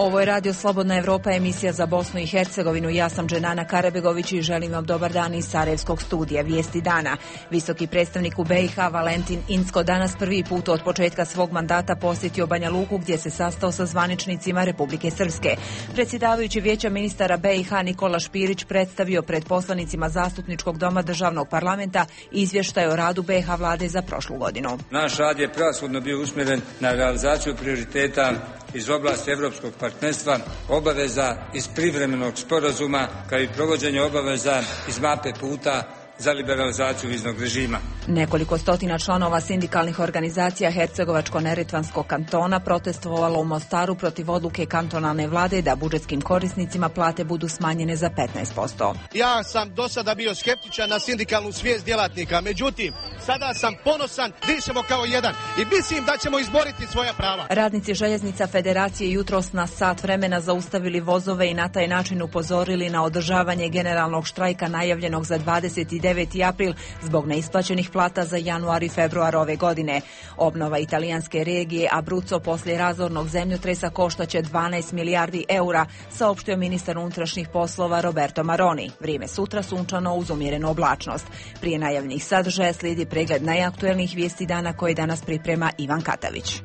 Ovo je Radio Slobodna Evropa, emisija za Bosnu i Hercegovinu. Ja sam Dženana Karabegović i želim vam dobar dan iz Sarajevskog studija. Vijesti dana. Visoki predstavnik u BiH Valentin Incko danas prvi put od početka svog mandata posjetio Banja Luku gdje se sastao sa zvaničnicima Republike Srpske. Predsjedavajući Vijeća ministara BiH Nikola Špirić predstavio pred poslanicima Zastupničkog doma Državnog parlamenta izvještaj o radu BiH vlade za prošlu godinu. Naš rad je prevashodno bio usmjeren na realizaciju prioriteta iz oblasti europskog partnerstva, obaveza iz privremenog sporazuma, kao i provođenje obaveza iz mape puta za liberalizaciju viznog režima. Nekoliko stotina članova sindikalnih organizacija Hercegovačko-neretvanskog kantona protestovalo u Mostaru protiv odluke kantonalne vlade da budžetskim korisnicima plate budu smanjene za 15%. Ja sam do sada bio skeptičan na sindikalnu svijest djelatnika, međutim, sada sam ponosan, dišemo kao jedan i mislim da ćemo izboriti svoja prava. Radnici Željeznica Federacije jutros na sat vremena zaustavili vozove i na taj način upozorili na održavanje generalnog štrajka najavljenog za 29. april zbog neisplaćenih plata za januar i februar ove godine. Obnova italijanske regije Abruzzo poslije razornog zemljotresa koštaće 12 milijardi eura, saopštio ministar unutrašnjih poslova Roberto Maroni. Vrijeme sutra sunčano uz umjerenu oblačnost. Prije najavljenih sadržaja slijedi pregled najaktuelnijih vijesti dana koje danas priprema Ivan Katavić.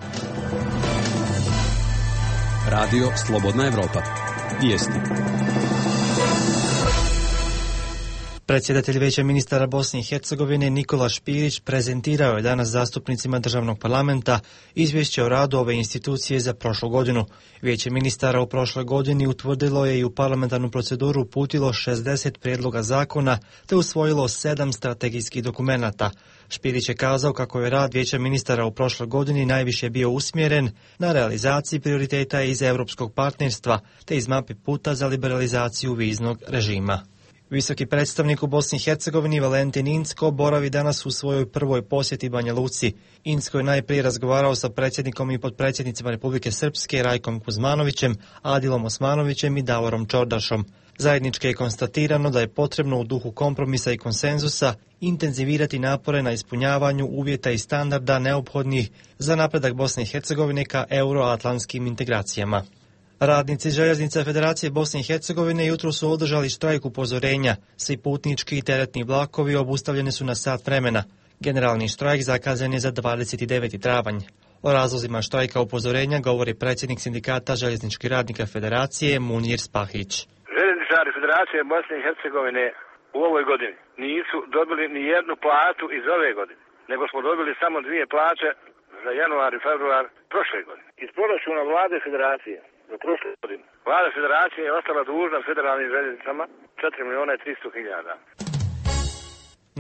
Radio Slobodna Evropa. Vijesti. Predsjedatelj Vijeća ministara Bosne i Hercegovine Nikola Špirić prezentirao je danas zastupnicima Državnog parlamenta izvješće o radu ove institucije za prošlu godinu. Vijeće ministara u prošloj godini utvrdilo je i u parlamentarnu proceduru uputilo 60 prijedloga zakona te usvojilo 7 strategijskih dokumenata. Špirić je kazao kako je rad Vijeća ministara u prošloj godini najviše bio usmjeren na realizaciji prioriteta iz europskog partnerstva te iz mape puta za liberalizaciju viznog režima. Visoki predstavnik u Bosni i Hercegovini Valentin Incko boravi danas u svojoj prvoj posjeti Banja Luci. Incko je najprije razgovarao sa predsjednikom i potpredsjednicima Republike Srpske Rajkom Kuzmanovićem, Adilom Osmanovićem i Davorom Čordašom. Zajednički je konstatirano da je potrebno u duhu kompromisa i konsenzusa intenzivirati napore na ispunjavanju uvjeta i standarda neophodnih za napredak Bosne i Hercegovine ka euroatlantskim integracijama. Radnici Željeznica Federacije Bosne i Hercegovine jutro su održali štrajk upozorenja. Svi putnički i teretni vlakovi obustavljeni su na sat vremena. Generalni štrajk zakazan je za 29. travanj. O razlozima štrajka upozorenja govori predsjednik sindikata željezničkih radnika Federacije Munir Spahić. Željezničari Federacije Bosne i Hercegovine u ovoj godini nisu dobili ni jednu platu iz ove godine, nego smo dobili samo 2 plaće za januar i februar prošle godine. Iz proračuna vlade Federacije za prošle godine vlada Federacije je ostala dužna federalnim željeznicama 4.300.000.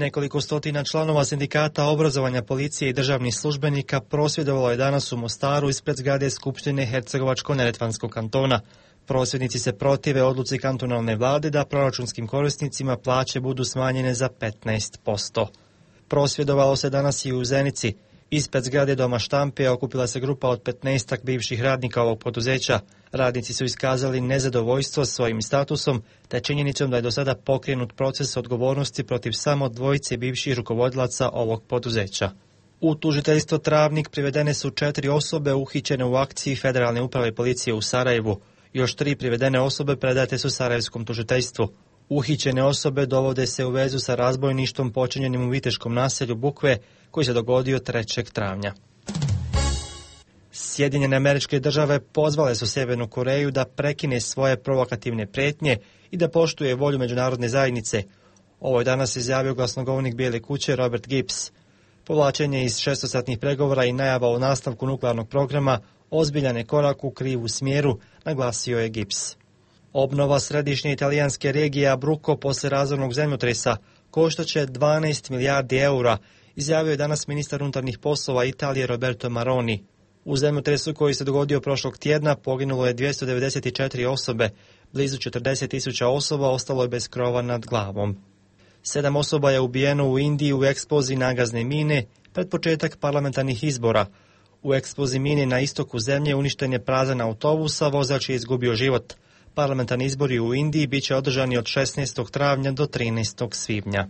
Nekoliko stotina članova sindikata obrazovanja policije i državnih službenika prosvjedovalo je danas u Mostaru ispred zgrade Skupštine Hercegovačko-neretvanskog kantona. Prosvjednici se protive odluci kantonalne vlade da proračunskim korisnicima plaće budu smanjene za 15%. Prosvjedovalo se danas i u Zenici. Ispred zgrade Doma štampe okupila se grupa od 15 bivših radnika ovog poduzeća. Radnici su iskazali nezadovoljstvo svojim statusom te činjenicom da je do sada pokrenut proces odgovornosti protiv samo 2 bivših rukovodilaca ovog poduzeća. U tužiteljstvo Travnik privedene su 4 osobe uhićene u akciji Federalne uprave policije u Sarajevu. Još 3 privedene osobe predate su Sarajevskom tužiteljstvu. Uhićene osobe dovode se u vezu sa razbojništvom počinjenim u viteškom naselju Bukve koji se dogodio 3. travnja. Sjedinjene Američke Države pozvale su Sjevernu Koreju da prekine svoje provokativne prijetnje i da poštuje volju međunarodne zajednice. Ovo je danas izjavio glasnogovornik Bijele kuće Robert Gibbs. Povlačenje iz 6-satnih pregovora i najava o nastavku nuklearnog programa ozbiljan je korak u krivu smjeru, naglasio je Gibbs. Obnova središnje italijanske regije Abruzzo poslije razornog zemljotresa koštaće 12 milijardi eura, izjavio je danas ministar unutarnjih poslova Italije Roberto Maroni. U zemljotresu koji se dogodio prošlog tjedna poginulo je 294 osobe, blizu 40.000 osoba ostalo je bez krova nad glavom. 7 osoba je ubijeno u Indiji u eksploziji nagazne mine pred početak parlamentarnih izbora. U eksploziji mine na istoku zemlje uništen je prazan autobus, a vozač je izgubio život. Parlamentarni izbori u Indiji bit će održani od 16. travnja do 13. svibnja.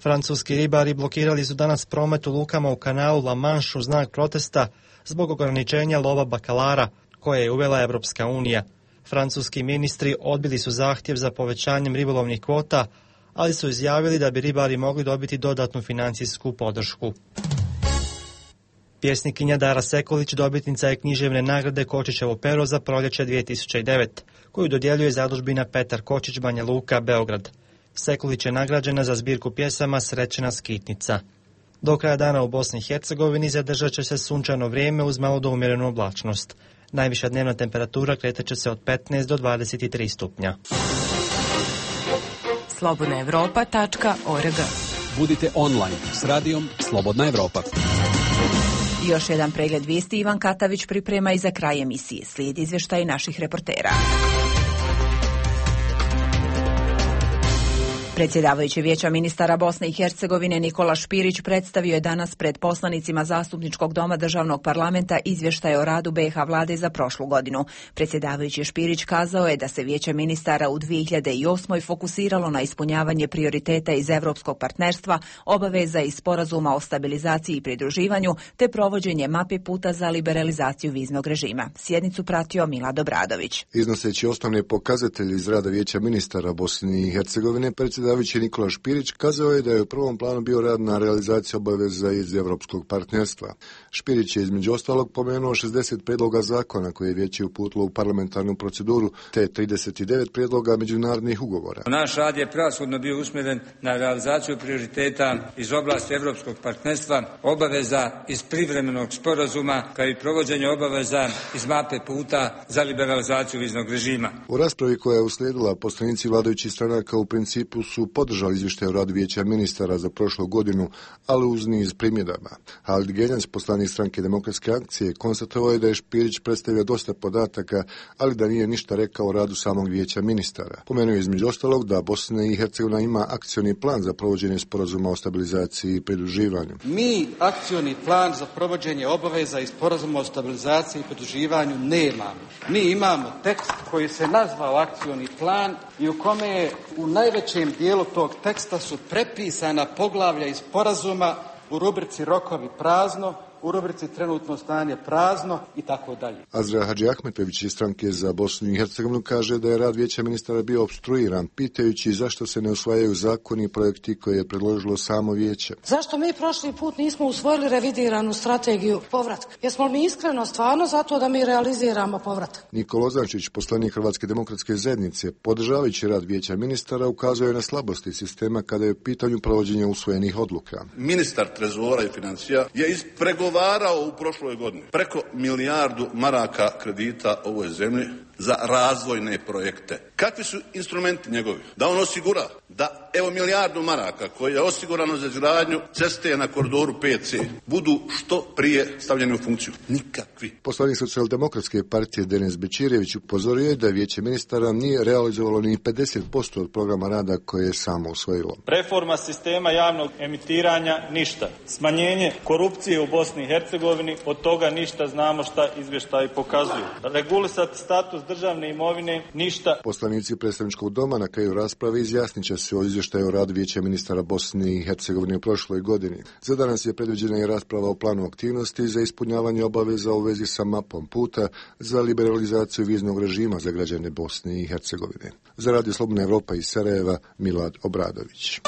Francuski ribari blokirali su danas promet u lukama u kanalu La Manche u znak protesta zbog ograničenja lova bakalara koje je uvela Evropska unija. Francuski ministri odbili su zahtjev za povećanjem ribolovnih kvota, ali su izjavili da bi ribari mogli dobiti dodatnu financijsku podršku. Pjesnikinja Dara Sekulić dobitnica je književne nagrade Kočićevo pero za proljeće 2009, koju dodjeljuje zadužbina Petar Kočić Banja Luka, Beograd. Sekulić je nagrađena za zbirku pjesama Srećena skitnica. Do kraja dana u Bosni i Hercegovini zadržat će se sunčano vrijeme uz malo do umjerenu oblačnost. Najviša dnevna temperatura kretat će se od 15 do 23 stupnja. slobodnaevropa.org. Budite online s radijom Slobodna Evropa. Još jedan pregled vijesti Ivan Katavić priprema i za kraj emisije. Slijedi izvještaj naših reportera. Predsjedavajući Vijeća ministara Bosne i Hercegovine Nikola Špirić predstavio je danas pred poslanicima Zastupničkog doma Državnog parlamenta izvještaj o radu BiH vlade za prošlu godinu. Predsjedavajući Špirić kazao je da se Vijeće ministara u 2008. fokusiralo na ispunjavanje prioriteta iz Evropskog partnerstva, obaveza i sporazuma o stabilizaciji i pridruživanju, te provođenje mape puta za liberalizaciju viznog režima. Sjednicu pratio Milad Obradović. Iznoseći osnovne pokazatelje iz rada Vijeća ministara Bosne i Hercegovine, predsjedavajući Nikola Špirić kazao je da je u prvom planu bio rad na realizaciji obaveza iz Evropskog partnerstva. Špirić je između ostalog pomenuo 60 prijedloga zakona koje je Vijeće uputilo u parlamentarnu proceduru, te 39 prijedloga međunarodnih ugovora. Naš rad je prevashodno bio usmjeren na realizaciju prioriteta iz oblasti Evropskog partnerstva, obaveza iz privremenog sporazuma, kao i provođenje obaveza iz mape puta za liberalizaciju viznog režima. U raspravi koja je uslijedila, poslanici vladajućih stranaka u principu su podržali izvještaj o radu Vijeća ministara za prošlu godinu, ali uz niz primjedaba. Halid Genjac, poslanik stranke Demokratske akcije, konstatovao je da je Špirić predstavio dosta podataka, ali da nije ništa rekao o radu samog Vijeća ministara. Pomenuo je između ostalog da Bosna i Hercegovina ima akcioni plan za provođenje sporazuma o stabilizaciji i pridruživanju. Mi akcioni plan za provođenje obaveza i sporazuma o stabilizaciji i pridruživanju nemamo. Mi imamo tekst koji se nazvao akcioni plan i u kome je u najvećem dijelu tog teksta su prepisana poglavlja iz sporazuma u rubrici rokovi prazno, u rubrici trenutno stanje prazno i tako dalje. Azra Hadži Ahmetović iz stranke za Bosnu i Hercegovinu kaže da je rad Vijeća ministara bio opstruiran, pitajući zašto se ne usvajaju zakoni i projekti koje je predložilo samo Vijeće. Zašto mi prošli put nismo usvojili revidiranu strategiju povratka? Jesmo mi iskreno stvarno zato da mi realiziramo povratak? Nikola Ozančić, poslanik Hrvatske demokratske zajednice, podržavajući rad Vijeća ministara, ukazuje na slabosti sistema kada je u pitanju provođenja usvojenih odluka. Ministar trezora i financija je ispregovarao u prošloj godini preko milijardu maraka kredita ovoj zemlji za razvojne projekte. Kakvi su instrumenti njegovi? Da on osigura da evo milijardu maraka koje je osigurano za izgradnju ceste na koridoru 5C budu što prije stavljeni u funkciju. Nikakvi. Poslanik Socijaldemokratske partije Denis Bečirević upozorio je da Vijeće ministara nije realizovalo ni 50% od programa rada koje je samo usvojilo. Reforma sistema javnog emitiranja ništa. Smanjenje korupcije u Bosni i Hercegovini, od toga ništa, znamo šta izvještaji pokazuju. Regulisati status državne imovine ništa. Poslanici predstavničkog doma na kraju rasprave izjasnit će se o izvještaju o radu Vijeća ministara Bosne i Hercegovine u prošloj godini. Za danas je predviđena i rasprava o planu aktivnosti za ispunjavanje obaveza u vezi sa mapom puta za liberalizaciju viznog režima za građane Bosne i Hercegovine. Za Radio Slobodna Evropa iz Sarajeva, Milad Obradović.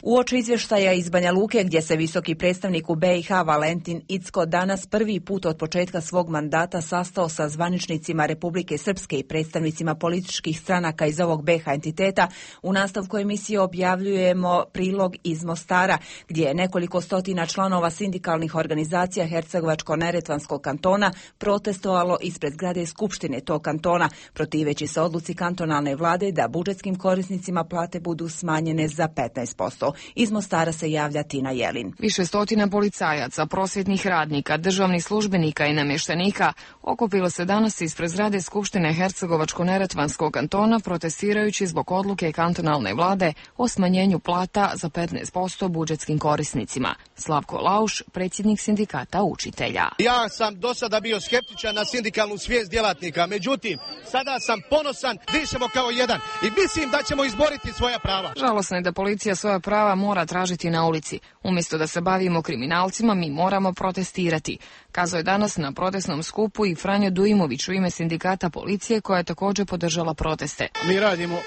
Uoči izvještaja iz Banja Luke, gdje se visoki predstavnik u BiH Valentin Incko danas prvi put od početka svog mandata sastao sa zvaničnicima Republike Srpske i predstavnicima političkih stranaka iz ovog BiH entiteta, u nastavku emisije objavljujemo prilog iz Mostara, gdje je nekoliko stotina članova sindikalnih organizacija Hercegovačko-neretvanskog kantona protestovalo ispred zgrade Skupštine tog kantona, protiveći se odluci kantonalne vlade da budžetskim korisnicima plate budu smanjene za 15%. Iz Mostara se javlja Tina Jelin. Više stotina policajaca, prosvjetnih radnika, državnih službenika i namještenika okupilo se danas ispred zgrade Skupštine Hercegovačko-neretvanskog kantona protestirajući zbog odluke kantonalne vlade o smanjenju plata za 15% budžetskim korisnicima. Slavko Lauš, predsjednik sindikata učitelja. Ja sam do sada bio skeptičan na sindikalnu svijest djelatnika, međutim, sada sam ponosan, dišemo kao jedan i mislim da ćemo izboriti svoja prava. Žalosno je da policija svoja prava prava mora tražiti na ulici. Umjesto da se bavimo kriminalcima, mi moramo protestirati. Kazao je danas na protestnom skupu i Franjo Dujmović u ime sindikata policije koja je također podržala proteste. Mi radimo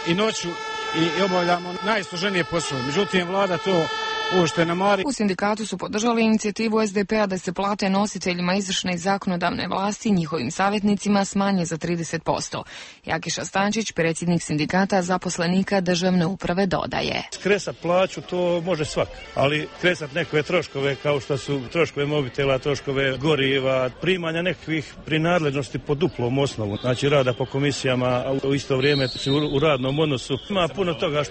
i noću i obavljamo najsloženije poslove. Međutim, vlada to uopšte ne mari. U sindikatu su podržali inicijativu SDP-a da se plate nositeljima izvršne i zakonodavne vlasti i njihovim savjetnicima smanje za 30%. Jakiša Stančić, predsjednik sindikata zaposlenika državne uprave, dodaje. Skresat plaću to može svak, ali kresat nekove troškove kao što su troškove mobitela, troškove goriva, primanja nekakvih prinadležnosti po duplom osnovu, znači rada po komisijama, a u isto vrijeme u radnom odnosu. Ima puno toga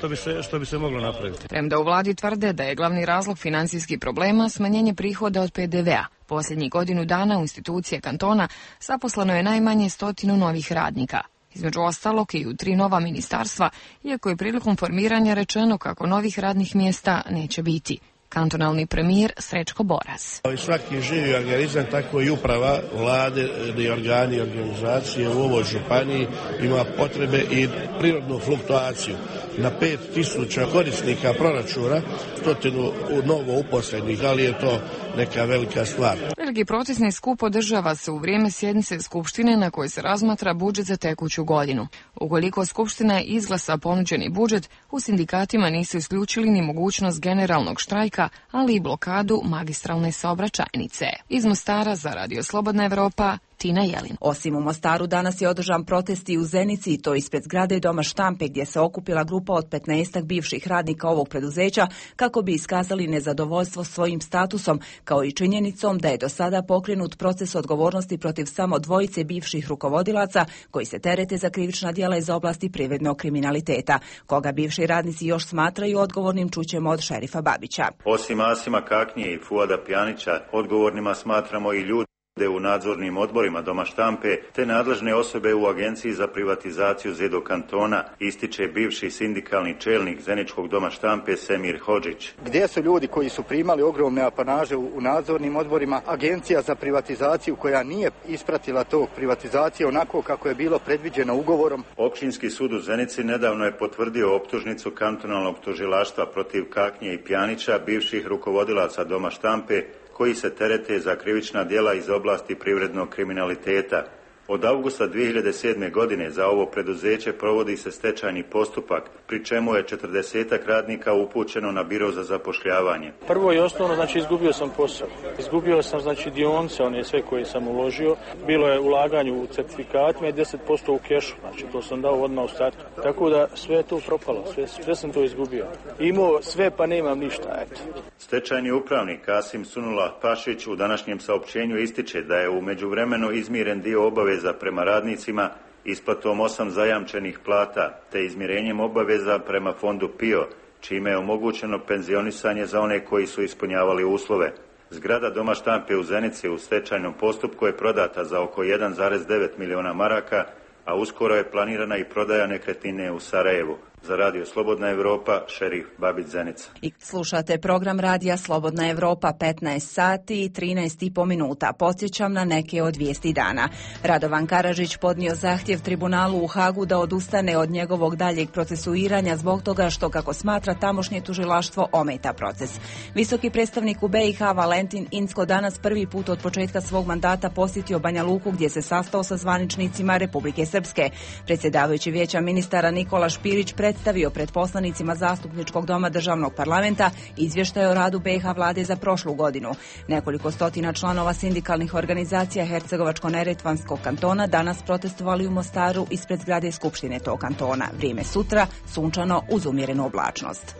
što bi se moglo napraviti. Premda u vladi tvrde da je glavni razlog financijskih problema smanjenje prihoda od PDV-a. Posljednjih godinu dana u institucije kantona zaposleno je najmanje 100 novih radnika. Između ostalog i u 3 nova ministarstva, iako je prilikom formiranja rečeno kako novih radnih mjesta neće biti. Kantonalni premijer Srećko Boras. Svaki živi organizam, tako i uprava vlade i organi i organizacije u ovoj županiji ima potrebe i prirodnu fluktuaciju. Na 5000 korisnika proračuna, 100 novo uposlenih, ali je to neka velika stvar. Veliki protestni skup održava se u vrijeme sjednice Skupštine na kojoj se razmatra budžet za tekuću godinu. Ukoliko Skupština izglasa ponuđeni budžet, u sindikatima nisu isključili ni mogućnost generalnog štrajka, ali i blokadu magistralne saobraćajnice. Iz Mostara za Radio Slobodna Evropa, Tina Jelin. Osim u Mostaru, danas je održan protest i u Zenici, i to ispred zgrade Doma štampe, gdje se okupila grupa od 15 bivših radnika ovog preduzeća kako bi iskazali nezadovoljstvo svojim statusom, kao i činjenicom da je do sada pokrenut proces odgovornosti protiv samo 2 bivših rukovodilaca koji se terete za krivična djela iz oblasti privrednog kriminaliteta. Koga bivši radnici još smatraju odgovornim, čućemo od šerifa Babića. Osim Asima Kaknije i Fuada Pjanića, odgovornima smatramo i ljudi u nadzornim odborima Doma štampe, te nadležne osobe u Agenciji za privatizaciju ZEDO kantona, ističe bivši sindikalni čelnik Zeničkog Doma štampe Semir Hodžić. Gdje su ljudi koji su primali ogromne apanaže u nadzornim odborima? Agencija za privatizaciju koja nije ispratila tog privatizacije onako kako je bilo predviđeno ugovorom. Općinski sud u Zenici nedavno je potvrdio optužnicu kantonalnog tužilaštva protiv Kaknje i Pjanića, bivših rukovodilaca Doma štampe, koji se terete za krivična djela iz oblasti privrednog kriminaliteta. Od avgusta 2007. godine za ovo preduzeće provodi se stečajni postupak, pri čemu je 40 radnika upućeno na biro za zapošljavanje. Prvo i osnovno, znači izgubio sam posao. Izgubio sam znači dionice, one sve koje sam uložio. Bilo je ulaganje u certifikatima i 10% u kešu, znači to sam dao odmah u startu. Tako da sve je to propalo, sve sam to izgubio. Imao sve pa nemam ništa, eto. Stečajni upravnik Kasim Sunula Pašić u današnjem saopćenju ističe da je u međuvremenu izmiren dio obaveza prema radnicima isplatom 8 zajamčenih plata te izmirenjem obaveza prema fondu PIO, čime je omogućeno penzionisanje za one koji su ispunjavali uslove. Zgrada Doma štampe u Zenici u stečajnom postupku je prodata za oko 1,9 miliona maraka, a uskoro je planirana i prodaja nekretnine u Sarajevu. Za Radio Slobodna Evropa, šerif Babić, Zenica. I slušate program Radija Slobodna Evropa, 15 sati i 13,5 minuta. Podsjećam na neke od vijesti dana. Radovan Karadžić podnio zahtjev tribunalu u Hagu da odustane od njegovog daljeg procesuiranja zbog toga što, kako smatra, tamošnje tužilaštvo ometa proces. Visoki predstavnik u BiH Valentin Incko danas prvi put od početka svog mandata posjetio Banja Luku, gdje se sastao sa zvaničnicima Republike Srpske. Predsjedavajući Vijeća ministara Nikola Špirić predstavio pred poslanicima Zastupničkog doma državnog parlamenta izvještaj o radu BiH vlade za prošlu godinu. Nekoliko stotina članova sindikalnih organizacija Hercegovačko-neretvanskog kantona danas protestovali u Mostaru ispred zgrade Skupštine tog kantona. Vrijeme sutra sunčano uz umjerenu oblačnost.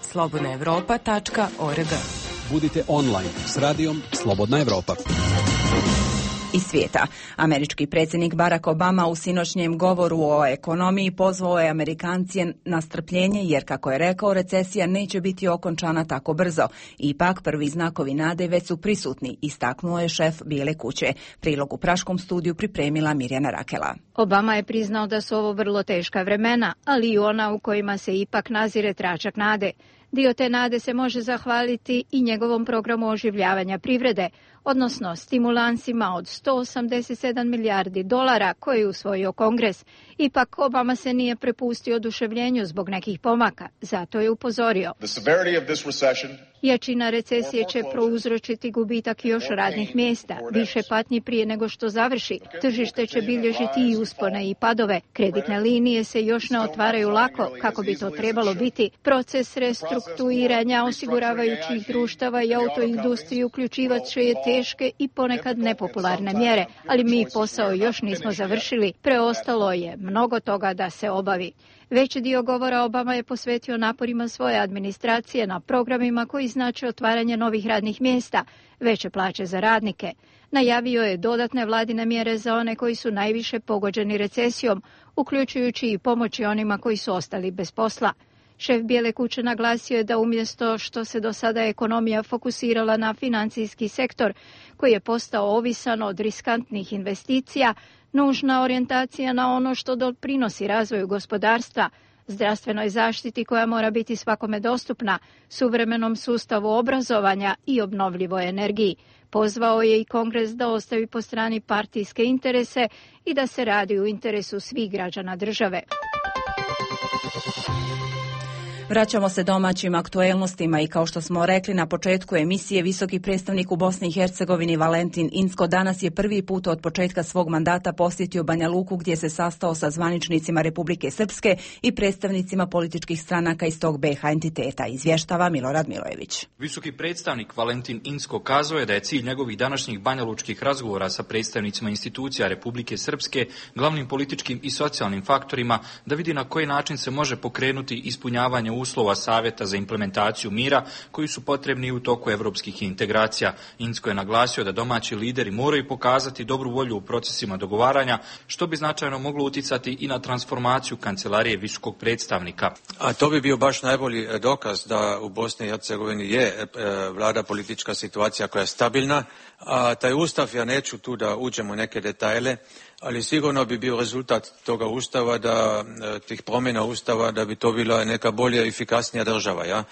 slobodnaevropa.org. Budite online s radijom Slobodna Evropa. Iz svijeta. Američki predsjednik Barack Obama u sinoćnjem govoru o ekonomiji pozvao je Amerikance na strpljenje jer, kako je rekao, recesija neće biti okončana tako brzo. Ipak prvi znakovi nade već su prisutni, istaknuo je šef Bijele kuće. Prilog u praškom studiju pripremila Mirjana Rakela. Obama je priznao da su ovo vrlo teška vremena, ali i ona u kojima se ipak nazire tračak nade. Dio te nade se može zahvaliti i njegovom programu oživljavanja privrede, odnosno stimulansima od $187 milijardi koje je usvojio Kongres Ipak Obama se nije prepustio oduševljenju zbog nekih pomaka, zato je upozorio. Jačina recesije će prouzročiti gubitak još radnih mjesta, više patnji prije nego što završi. Tržište će bilježiti i uspone i padove. Kreditne linije se još ne otvaraju lako, kako bi to trebalo biti. Proces restrukturiranja osiguravajućih društava i autoindustriju uključivat će teške i ponekad nepopularne mjere, ali mi posao još nismo završili. Preostalo je mnogo toga da se obavi. Veći dio govora Obama je posvetio naporima svoje administracije na programima koji znače otvaranje novih radnih mjesta, veće plaće za radnike. Najavio je dodatne vladine mjere za one koji su najviše pogođeni recesijom, uključujući i pomoći onima koji su ostali bez posla. Šef Bijele kuće naglasio je da umjesto što se do sada ekonomija fokusirala na financijski sektor, koji je postao ovisan od riskantnih investicija, nužna orijentacija na ono što doprinosi razvoju gospodarstva, zdravstvenoj zaštiti koja mora biti svakome dostupna, suvremenom sustavu obrazovanja i obnovljivoj energiji. Pozvao je i Kongres da ostavi po strani partijske interese i da se radi u interesu svih građana države. Vraćamo se domaćim aktuelnostima i kao što smo rekli na početku emisije, visoki predstavnik u Bosni i Hercegovini Valentin Incko danas je prvi put od početka svog mandata posjetio Banja Luku gdje se sastao sa zvaničnicima Republike Srpske i predstavnicima političkih stranaka iz tog BiH entiteta, izvještava Milorad Milojević. Visoki predstavnik Valentin Incko kazao je da je cilj njegovih današnjih banjalučkih razgovora sa predstavnicima institucija Republike Srpske, glavnim političkim i socijalnim faktorima, da vidi na koji način se može pokrenuti ispunjavanje uslova Savjeta za implementaciju mira koji su potrebni u toku evropskih integracija. Incko je naglasio da domaći lideri moraju pokazati dobru volju u procesima dogovaranja, što bi značajno moglo uticati i na transformaciju kancelarije visokog predstavnika. A to bi bio baš najbolji dokaz da u Bosni i Hercegovini je vlada politička situacija koja je stabilna. A taj ustav, ja neću tu da uđemo u neke detajle, ali sigurno bi bio rezultat toga ustava, tih promjena ustava, da bi to bila neka bolja i efikasnija država, ja?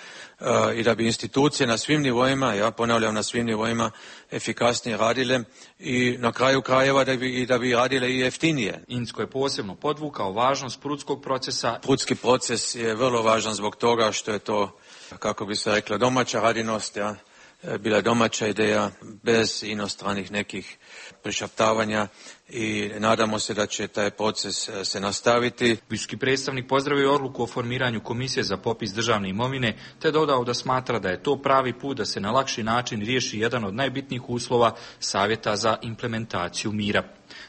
I da bi institucije na svim nivoima, ja ponavljam na svim nivoima, efikasnije radile i na kraju krajeva da bi radile i jeftinije. Incko je posebno podvukao važnost prudskog procesa. Prudski proces je vrlo važan zbog toga što je to, kako bi se reklo, domaća radinost, ja? Bila domaća ideja bez inostranih nekih prišaptavanja i nadamo se da će taj proces se nastaviti. Visoki predstavnik pozdravio odluku o formiranju komisije za popis državne imovine te dodao da smatra da je to pravi put da se na lakši način riješi jedan od najbitnijih uslova Savjeta za implementaciju mira.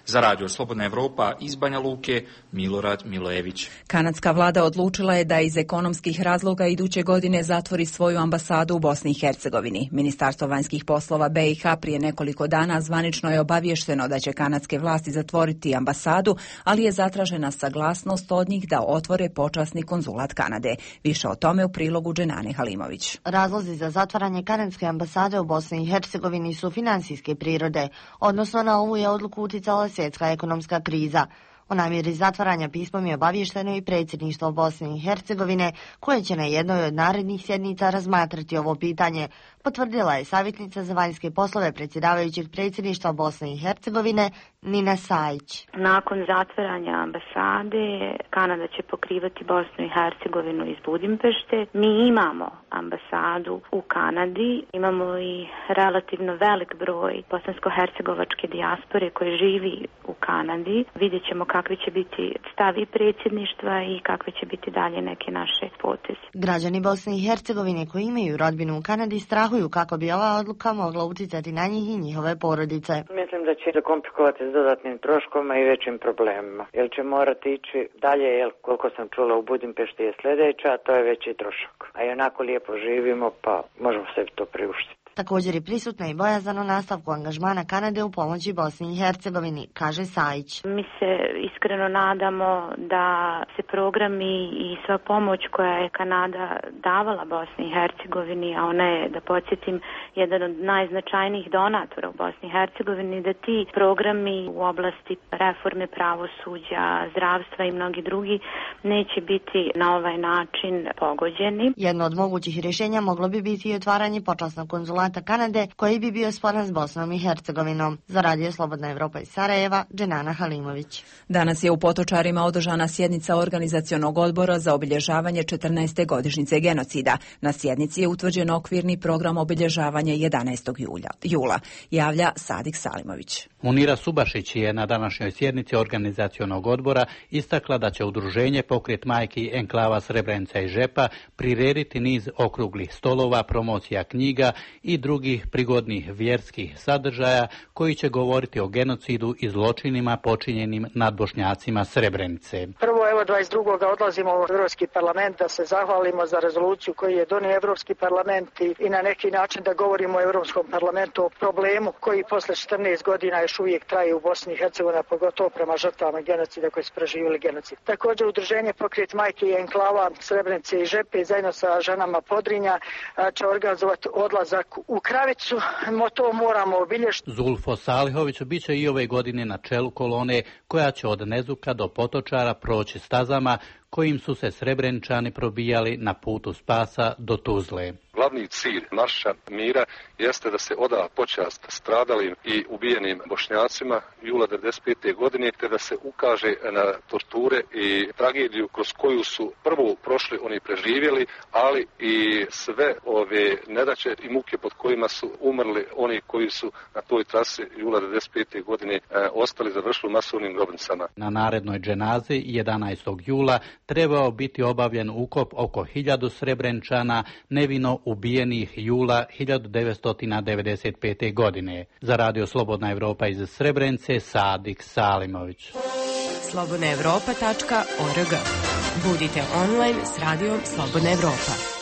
Za Radio Slobodna Evropa iz Banja Luke, Milorad Milojević. Kanadska vlada odlučila je da iz ekonomskih razloga iduće godine zatvori svoju ambasadu u Bosni i Hercegovini. Ministarstvo vanjskih poslova BiH prije nekoliko dana zvanično je obavješteno da će kanadske vlasti zatvoriti ambasadu, ali je zatražena saglasnost od njih da otvore počasni konzulat Kanade. Više o tome u prilogu Dženane Halimović. Razlozi za zatvaranje kanadske ambasade u Bosni i Hercegovini su financijske prirode, odnosno na ovu je odluku uticala svjetska ekonomska kriza. O namjeri zatvaranja pismom je obavješteno i predsjedništvo Bosne i Hercegovine, koje će na jednoj od narednih sjednica razmatrati ovo pitanje, potvrdila je savjetnica za vanjske poslove predsjedavajućeg predsjedništva Bosne i Hercegovine Nina Sajić. Nakon zatvaranja ambasade, Kanada će pokrivati Bosnu i Hercegovinu iz Budimpešte. Mi imamo ambasadu u Kanadi, imamo i relativno velik broj bosansko-hercegovačke dijaspore koji živi u Kanadi. Vidjet ćemo kakvi će biti stavi predsjedništva i kakve će biti dalje neke naše poteze. Građani Bosne i Hercegovine koji imaju rodbinu u Kanadi strahuju kako bi ova odluka mogla utjecati na njih i njihove porodice. Mislim da će zakomplikovati s dodatnim troškovima i većim problemima. Jer će morati ići dalje, koliko sam čula u Budimpešti je sljedeća, to je veći trošak. A i onako lijepo živimo, pa možemo sebi to priuštiti. Također je prisutna i bojazan o nastavku angažmana Kanade u pomoći Bosni i Hercegovini, kaže Sajić. Mi se iskreno nadamo da se programi i sva pomoć koja je Kanada davala Bosni i Hercegovini, a ona je, da podsjetim, jedan od najznačajnijih donatora u Bosni i Hercegovini, da ti programi u oblasti reforme pravosuđa, zdravstva i mnogi drugi neće biti na ovaj način pogođeni. Jedno od mogućih rješenja moglo bi biti i otvaranje počasnog konzulata diplomata Kanade koji bi bio sporan s Bosnom i Hercegovinom. Za Radio Slobodna Evropa iz Sarajeva, Dženana Halimović. Danas je u Potočarima održana sjednica Organizacionog odbora za obilježavanje 14. godišnjice genocida. Na sjednici je utvrđen okvirni program obilježavanja 11. jula. Javlja Sadik Salimović. Munira Subašić je na današnjoj sjednici Organizacionog odbora istakla da će udruženje Pokret majki enklava Srebrenica i Žepa prirediti niz okruglih stolova, promocija knjiga i drugih prigodnih vjerskih sadržaja koji će govoriti o genocidu i zločinima počinjenim nad Bošnjacima Srebrenice. Prvo, evo 22. odlazimo u Europski parlament da se zahvalimo za rezoluciju koju je donio Europski parlament i na neki način da govorimo o Europskom parlamentu o problemu koji posle 14 godina još uvijek traje u Bosni i Hercegovini, pogotovo prema žrtvama genocida koji su preživjeli genocid. Također udruženje Pokret majki i enklava Srebrenice i Žepe zajedno sa ženama Podrinja će organizovati odlazak u Kravicu. To moramo obilježiti. Zulfo Salihović bit će i ove godine na čelu kolone koja će od Nezuka do Potočara proći stazama kojim su se Srebreničani probijali na putu spasa do Tuzle. Glavni cilj marša mira jeste da se oda počast stradalim i ubijenim Bošnjacima jula 1995. godine, te da se ukaže na torture i tragediju kroz koju su prvo prošli oni preživjeli, ali i sve ove nedaće i muke pod kojima su umrli oni koji su na toj trasi jula 1995. godine ostali završili masovnim grobnicama. Na narednoj dženazi 11. jula trebao biti obavljen ukop oko 1000 Srebreničana nevino ubijenih jula 1995. godine. Za Radio Slobodna Evropa iz Srebrenice, Sadik Salimović. slobodnaevropa.org. Budite online s Radijom Slobodna Evropa.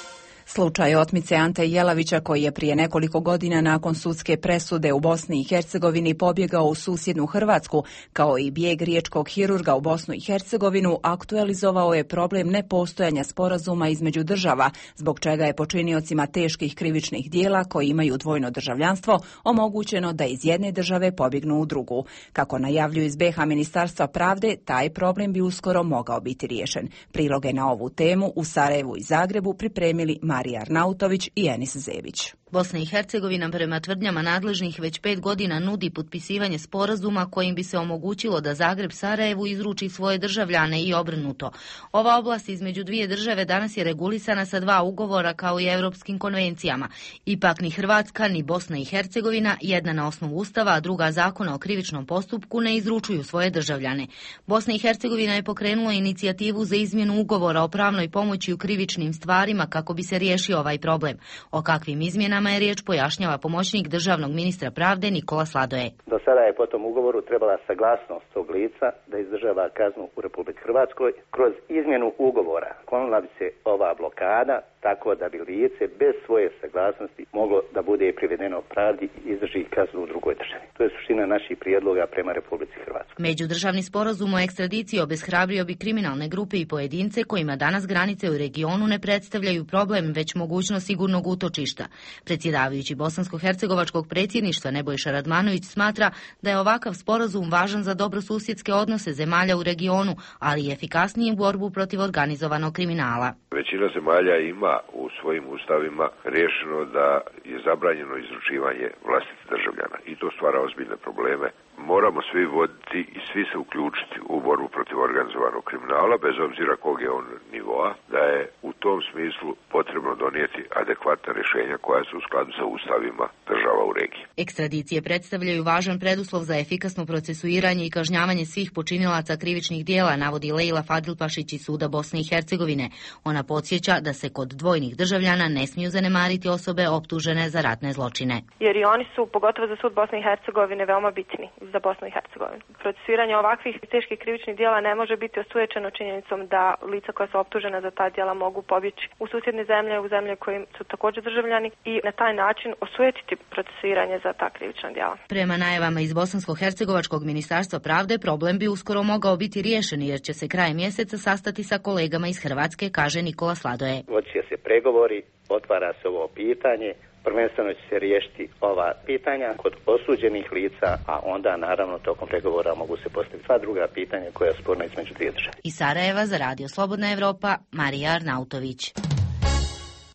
Slučaj otmice Ante Jelavića, koji je prije nekoliko godina nakon sudske presude u Bosni i Hercegovini pobjegao u susjednu Hrvatsku, kao i bijeg riječkog hirurga u Bosnu i Hercegovinu, aktualizovao je problem nepostojanja sporazuma između država, zbog čega je počiniocima teških krivičnih dijela koji imaju dvojno državljanstvo omogućeno da iz jedne države pobjegnu u drugu. Kako najavljuju iz BiH Ministarstva pravde, taj problem bi uskoro mogao biti riješen. Priloge na ovu temu u Sarajevu i Zagrebu pripremili Marija Arnautović i Enis Zebić. Bosna i Hercegovina prema tvrdnjama nadležnih već 5 godina nudi potpisivanje sporazuma kojim bi se omogućilo da Zagreb Sarajevu izruči svoje državljane i obrnuto. Ova oblast između dvije države danas je regulisana sa 2 ugovora kao i europskim konvencijama. Ipak ni Hrvatska ni Bosna i Hercegovina, jedna na osnovu Ustava, a druga zakona o krivičnom postupku, ne izručuju svoje državljane. Bosna i Hercegovina je pokrenula inicijativu za izmjenu ugovora o pravnoj pomoći u krivičnim stvarima kako bi se riješio ovaj problem. O kakvim izmjenama je riječ pojašnjava pomoćnik državnog ministra pravde Nikola Sladoje. Do sada je po tom ugovoru trebala saglasnost tog lica da izdržava kaznu u Republici Hrvatskoj. Kroz izmjenu ugovora klonila bi se ova blokada tako da bi lice bez svoje saglasnosti moglo da bude privedeno pravdi i izdrži kaznu u drugoj državi. To je suština naših prijedloga prema Republici Hrvatskoj. Međudržavni sporazum o ekstradiciji obeshrabrio bi kriminalne grupe i pojedince kojima danas granice u regionu ne predstavljaju problem, već mogućnost sigurnog utočišta. Predsjedavajući bosansko-hercegovačkog predsjedništva Nebojša Radmanović smatra da je ovakav sporazum važan za dobrosusjedske odnose zemalja u regionu, ali i efikasniju borbu protiv organizovanog kriminala. Većina zemalja ima u svojim ustavima riješeno da je zabranjeno izručivanje vlastitih državljana i to stvara ozbiljne probleme. Moramo svi voditi i svi se uključiti u borbu protiv organizovanog kriminala, bez obzira kog je on nivoa, da je u tom smislu potrebno donijeti adekvatna rješenja koja su u skladu sa ustavima država u regiji. Ekstradicije predstavljaju važan preduslov za efikasno procesuiranje i kažnjavanje svih počinilaca krivičnih dijela, navodi Lejla Fadilpašić iz Suda Bosne i Hercegovine. Ona podsjeća da se kod dvojnih državljana ne smiju zanemariti osobe optužene za ratne zločine. Jer i oni su, pogotovo za Sud Bosne i Hercegovine, veoma bitni za Bosnu i Hercegovinu. Procesuiranje ovakvih teških krivičnih djela ne može biti osujećeno činjenicom da lica koja su optužena za ta djela mogu pobjeći u susjedne zemlje, u zemlje kojim su također državljani i na taj način osujetiti procesuiranje za ta krivična djela. Prema najavama iz Bosansko-hercegovačkog ministarstva pravde, problem bi uskoro mogao biti riješen jer će se krajem mjeseca sastati sa kolegama iz Hrvatske, kaže Nikola Sladoje. Vodit će se pregovori, otvara se ovo pitanje. Prvenstveno će se riješiti ova pitanja kod osuđenih lica, a onda naravno tokom pregovora mogu se postaviti 2 druga pitanja koja su sporna između dvije države. Iz Sarajeva za Radio Slobodna Evropa, Marija Arnautović.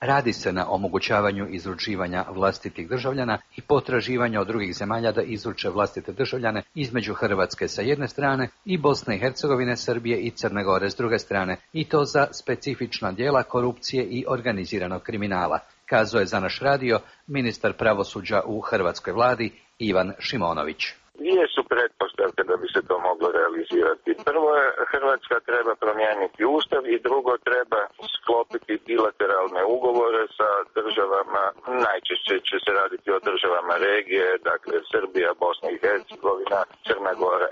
Radi se na omogućavanju izručivanja vlastitih državljana i potraživanja od drugih zemalja da izruče vlastite državljane između Hrvatske sa jedne strane i Bosne i Hercegovine, Srbije i Crne Gore s druge strane, i to za specifična djela korupcije i organiziranog kriminala, kazao je za naš radio ministar pravosuđa u hrvatskoj vladi Ivan Šimonović. Dvije su pretpostavke da bi se to moglo realizirati. Prvo je, Hrvatska treba promijeniti ustav i drugo, treba sklopiti bilateralne ugovore sa državama, najčešće će se raditi o državama regije, dakle Srbija, Bosna i Hercegovina, Crna Gora.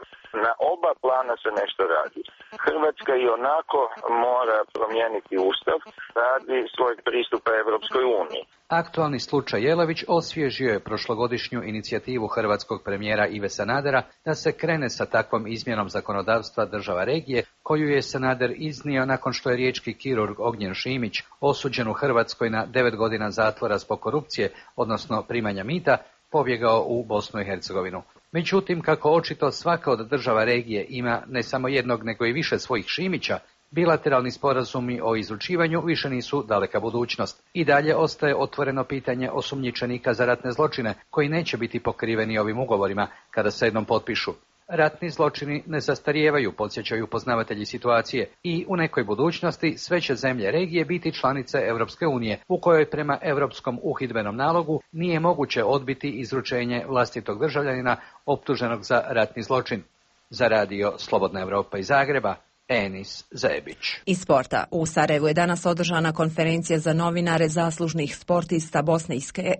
Na oba plana se nešto radi. Hrvatska i onako mora promijeniti ustav radi svojeg pristupa Europskoj uniji. Aktualni slučaj Jelavić osvježio je prošlogodišnju inicijativu hrvatskog premijera Ive Sanadera da se krene sa takvom izmjenom zakonodavstva država regije, koju je Sanader iznio nakon što je riječki kirurg Ognjen Šimić, osuđen u Hrvatskoj na 9 godina zatvora zbog korupcije, odnosno primanja mita, pobjegao u Bosnu i Hercegovinu. Međutim, kako očito svaka od država regije ima ne samo jednog nego i više svojih Šimića, bilateralni sporazumi o izručivanju više nisu daleka budućnost. I dalje ostaje otvoreno pitanje osumnjičenika za ratne zločine, koji neće biti pokriveni ovim ugovorima kada se jednom potpišu. Ratni zločini ne zastarijevaju, podsjećaju poznavatelji situacije, i u nekoj budućnosti sve će zemlje regije biti članice Europske unije, u kojoj prema Europskom uhidbenom nalogu nije moguće odbiti izručenje vlastitog državljanina optuženog za ratni zločin. Za radio Slobodna Evropa iz Zagreba, Enis Zebić. Iz sporta. U Sarajevu je danas održana konferencija za novinare zaslužnih sportista Bosne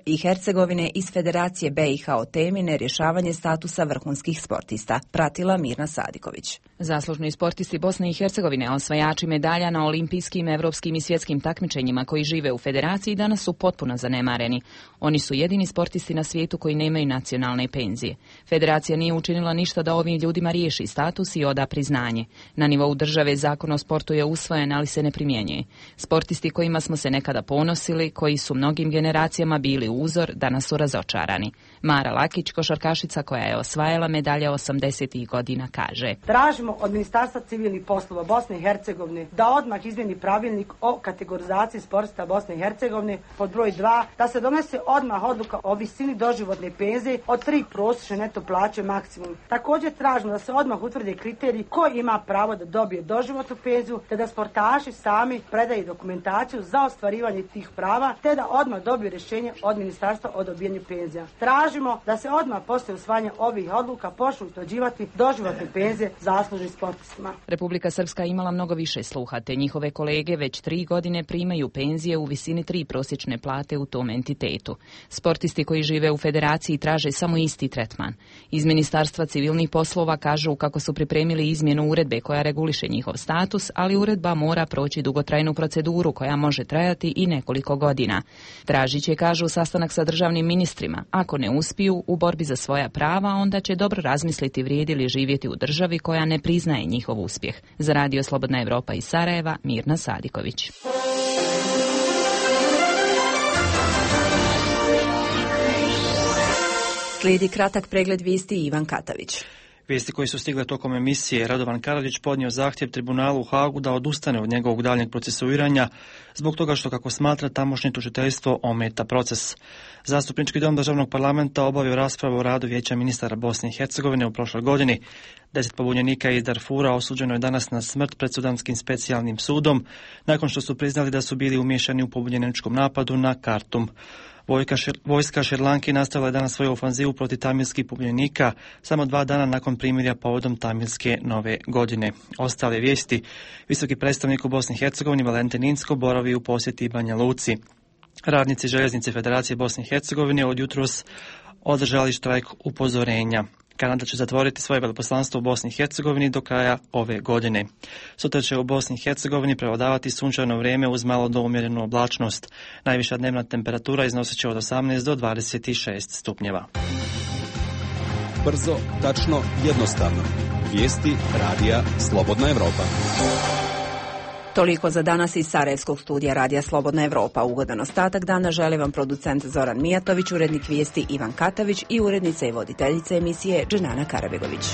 i Hercegovine iz Federacije BiH o temi nerješavanje statusa vrhunskih sportista. Pratila Mirna Sadiković. Zaslužni sportisti Bosne i Hercegovine, osvajači medalja na olimpijskim, evropskim i svjetskim takmičenjima koji žive u Federaciji, danas su potpuno zanemareni. Oni su jedini sportisti na svijetu koji nemaju nacionalne penzije. Federacija nije učinila ništa da ovim ljudima riješi status i oda priznanje. Na nivou države zakon o sportu je usvojen, ali se ne primjenjuje. Sportisti kojima smo se nekada ponosili, koji su mnogim generacijama bili uzor, danas su razočarani. Mara Lakić, košarkašica koja je osvajala medalje 80. godina, kaže: Tražimo od Ministarstva civilnih poslova Bosne i Hercegovine da odmah izmjeni pravilnik o kategorizaciji sportista Bosne i Hercegovine, pod broj 2, da se donese odmah odluka o visini doživotne penzije od 3 prosječne neto plaće maksimum. Također tražimo da se odmah utvrde kriteriji ko ima pravo da dobije doživotnu penziju, te da sportaši sami predaju dokumentaciju za ostvarivanje tih prava, te da odmah dobiju rješenje od Ministarstva o dobijanju penzija. Tražimo da se odmah poslije usvajanja ovih odluka počnu utvrđivati doživotne penzije zaslužnim sportistima. Republika Srpska imala mnogo više sluha, te njihove kolege već 3 godine primaju penzije u visini 3 prosječne plate u tom entitetu. Sportisti koji žive u Federaciji traže samo isti tretman. Iz Ministarstva civilnih poslova kažu kako su pripremili izmjenu uredbe koja reguliše njihov status, ali uredba mora proći dugotrajnu proceduru koja može trajati i nekoliko godina. Tražit će, kažu, sastanak sa državnim ministrima. Ako ne uspiju u borbi za svoja prava, onda će dobro razmisliti vrijedi li živjeti u državi koja ne priznaje njihov uspjeh. Za radio Slobodna Evropa iz Sarajeva, Mirna Sadiković. Slijedi kratak pregled vijesti Ivan Katavić. Vijesti koje su stigle tokom emisije: Radovan Karadžić podnio zahtjev tribunalu u Hagu da odustane od njegovog daljnjeg procesuiranja zbog toga što, kako smatra, tamošnje tužiteljstvo ometa proces. Zastupnički dom državnog parlamenta obavio raspravu o radu Vijeća ministara Bosne i Hercegovine u prošloj godini. 10 pobunjenika iz Darfura osuđeno je danas na smrt pred Sudanskim specijalnim sudom nakon što su priznali da su bili umiješani u pobunjeničkom napadu na Kartum. Vojska Šrilanke nastavila je danas svoju ofanzivu protiv tamilskih pobunjenika samo 2 dana nakon primirja povodom tamilske nove godine. Ostale vijesti: visoki predstavnik u Bosni i Hercegovini Valentin Inzko boravi u posjeti Banja Luci. Radnici željeznice Federacije Bosne i Hercegovine od jutros održali štrajk upozorenja. Kanada će zatvoriti svoje veleposlanstvo u Bosni i Hercegovini do kraja ove godine. Sutra će u Bosni i Hercegovini prevladavati sunčano vrijeme uz malo do umjerenu oblačnost. Najviša dnevna temperatura iznosit će od 18 do 26 stupnjeva. Brzo, tačno, jednostavno. Vijesti radija Slobodna Evropa. Toliko za danas iz Sarajevskog studija radija Slobodna Evropa. Ugodan ostatak dana želi vam producent Zoran Mijatović, urednik vijesti Ivan Katavić i urednica i voditeljica emisije Dženana Karabegović.